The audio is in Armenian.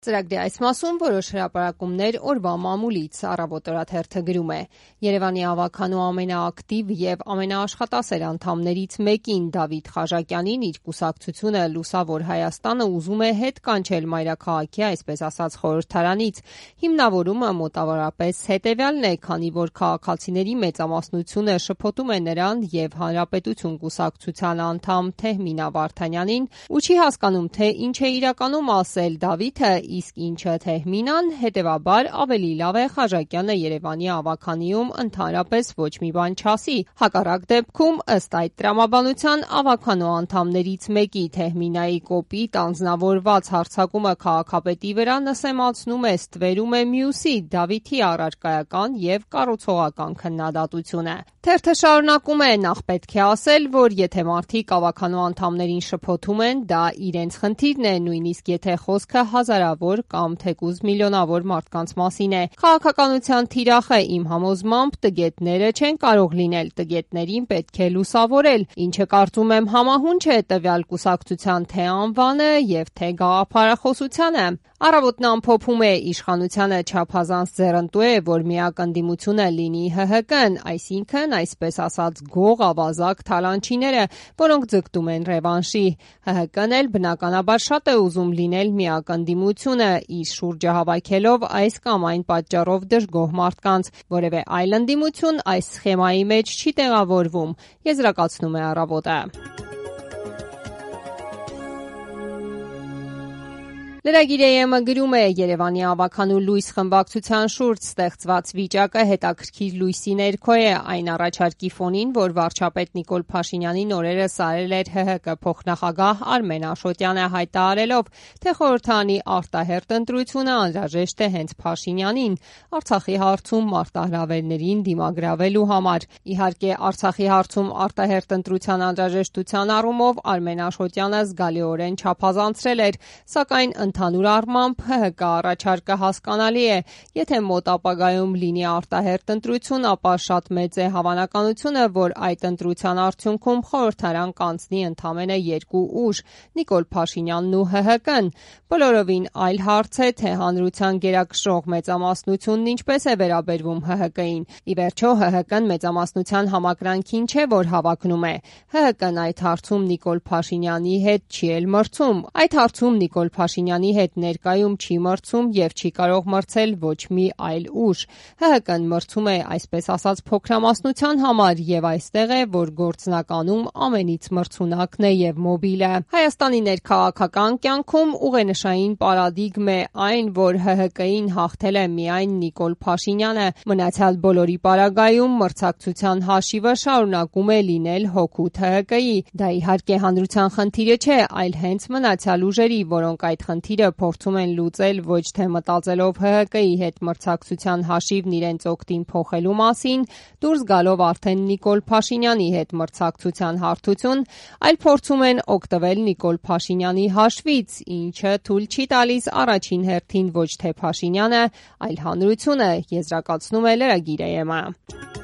Ծրագրի այս մասում որոշ հրապարակումներ օրվա մամուլից, Առավոտ օրաթերթը գրում է. Երևանի ավագանու ամենաակտիվ եւ ամենաաշխատասեր անդամներից մեկին Դավիթ Խաժակյանին իր կուսակցությունը Լուսավոր Հայաստանը ուզում է հետ կանչել մայրաքաղաքի, այսպես ասած, խորհրդարանից։ Հիմնավորումը մոտավորապես հետեւյալն է, քանի որ քաղաքացիների մեծամասնությունը շփոթում է նրան եւ Հանրապետություն կուսակցության անդամ Թեհմինա Վարդանյանին ու չի հասկանում, թե ինչ է իրականում ասել Դավիթը, իսկ ինչը Թեհմինան, հետևաբար ավելի լավ է Խաժակյանը Երևանի ավագանիում ընդհանրապես ոչ մի բան չասի։ Հակառակ դեպքում, ըստ այդ տրամաբանության, ավագանու անդամներից մեկի Թեհմինայի կոպիտ անձնավորված հարձակումը քաղաքապետի վրա նսեմացնում է, ստվերում է մյուսի Դավիթի առարկայական եւ կառուցողական քննադատությունը։ Թերթը շարունակում է. նախ պետք է ասել, որ եթե մարդիկ ավագանու անդամներին շփոթում են, դա իրենց խնդիրն է, նույնիսկ եթե խոսքը հազարավոր կամ թեկուզ միլիոնավոր մարդկանց մասին է։ Քաղաքականության թիրախը իմ համոզմամբ տգետները չեն կարող լինել, տգետներին պետք է լուսավորել, ինչը կարծում եմ համահունչ է տվյալ կուսակցության թե անվանը եւ թե գաղափարախոսությանը։ Առավոտն ամփոփում է. իշխանությանը չափազանց ձեռնտու է, որ միակ ընդդիմությունը լինի ՀՀԿ-ն, այսինքն, այսպես ասած, գող ավազակ թալանչիները, որոնք ձգտում են ռևանշի։ ՀՀԿ-ն էլ բնականաբար շատ է ուզում լինել միակ ընդդիմությունը, իր շուրջը հավաքելով այս կամ այն պատճառով դժգոհ մարդկանց։ Որևէ այլ ընդդիմություն այս սխեմայի մեջ չի տեղավորվում, եզրակացնում է Առավոտը։ Լրագիր AM-ը գրում է. Երևանի ավագանու լույս խմբակցության շուրջ ստեղծված վիճակը հետաքրքիր լույսի ներքո է այն առաջարկի ֆոնին, որ վարչապետ Նիկոլ Փաշինյանին օրերս արել էր ՀՀԿ փոխնախագահ Արմեն Աշոտյանը, հայտարարելով, թե խորհրդարանի արտահերթ ընտրությունը անհրաժեշտ է հենց Փաշինյանին Արցախի հարցում մարտահրավերներին դիմագրավելու համար։ Իհարկե, Արցախի հարցում արտահերթ ընտրության անհրաժեշտության առումով Արմեն Աշոտյանը զգալիորեն չափազանցրել էր, սակայն ընդհանուր առմամբ ՀՀԿ առաջարկը հասկանալի է։ Եթե մոտ ապագայում լինի արտահերթ ընտրություն, ապա շատ մեծ է հավանականությունը, որ այդ ընտրության արդյունքում խորհրդարան կանցնի ընդամենը երկու ուժ՝ Նիկոլ Փաշինյանն ու ՀՀԿ-ն։ Բոլորովին այլ հարց է, թե հանրության գերակշռող մեծամասնությունն ինչպես է վերաբերվում ՀՀԿ-ին։ Ի վերջո, ՀՀԿ-ն մեծամասնության համակրանքին չէ, որ հավակնում է։ ՀՀԿ-ն այդ հարցում Նիկոլ Փաշինյանի հետ չի էլ մրցում։ Այդ հարցում Նիկոլ Փաշինյանի հետ ներկայում չի մրցում եւ չի կարող մրցել ոչ մի այլ ուժ։ ՀՀԿ-ն մրցում է, այսպես ասած, փոքրամասնության համար եւ այստեղ է, որ գործնականում ամենից մրցունակն է եւ մոբիլը։ Հայաստանի ներքաղաքական կյանքում ուղենշային պարադիգմ է այն, որ ՀՀԿ-ին հաղթել է միայն Նիկոլ Փաշինյանը։ Մնացյալ բոլորի պարագայում մրցակցության հաշիվը շարունակում է լինել հօգուտ ՀՀԿ-ի։ Դա իհարկե հանրության խնդիրը չէ, այլ հենց մնացյալ ուժերի, որոնք այդ խնդիրը փորձում են լուծել ոչ թե մտածելով ՀՀԿ-ի հետ մրցակցության հաշիվն իրենց օգտին փոխելու մասին, դուրս գալով արդեն Նիկոլ Փաշինյանի հետ մրցակցության հարթություն, այլ փորձում են օգտվել Նիկոլ Փաշինյանի հաշվից, ինչը թույլ չի տալիս առաջին հերթին ոչ թե Փաշինյանը, այլ հանրությունը, եզրակացնում է լրագիր AM-ը։